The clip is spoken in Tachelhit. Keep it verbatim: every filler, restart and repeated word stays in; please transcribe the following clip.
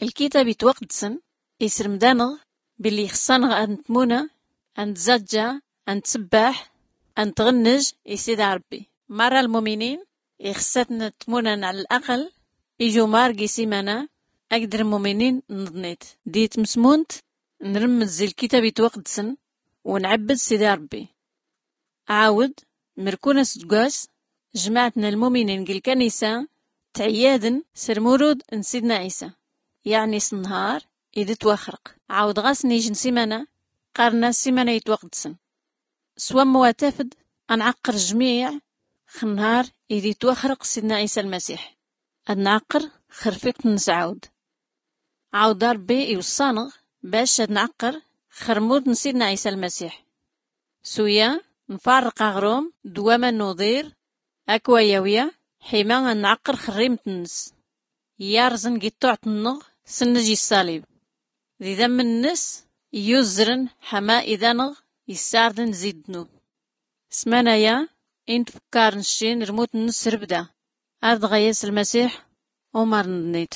Lkitab itwaqdsen isrmd-anɣ billi ixṣṣa-nɣ ad-ntmuna, ad-ntzaǧǧa, ad-ntsbbaḥ, ad-ntɣnnj i sidi ṛbbi. Marra lmuminin ixṣṣa-tn ad-tmunan ɛla laql ijumar gi simana akkd lmuminin n-ḍnit. Di tmsmunt nrmmd zi lkitab itwaqdsen u-nɛbbd sidi ṛbbi. Ɛawd, mrkun asdgwas, jmaɛt n-lmuminin g-lkanisa tɛyadn s-lmurud n-sidna ɛisa, yaɛni s-nnhar id-itwaxrq. Ɛawd ɣas n-ijn simana qqarn-as simana itwaqdsen. S-wamma wa tafd, a-nɛqqr jmiɛ x-nnhar id-itwaxrq sidna ɛisa lmasiḥ. Ad-nɛqqr x-rfiqt-nns ɛawd. Ɛawd ṛbbi iwṣṣa-nɣ bac ad-nɛqqr x-rmud n-sidna ɛisa lmasiḥ. S-uya, nfarrq aɣrum d-waman n-uḍir akk wa yawya, ḥima ad-nɛqqr x-rrimt-nns, yarẓn gittuɛt-nnɣ s-nnj i-ṣṣalib. D-idamn-nns iyuzzrn ḥama idanɣ issardn zi-ddnub. S-manaya, i-ntfkkarn ccin rmut-nns s-rbda. Ar-dɣa yas lmasiḥ, umar n-ḍnit.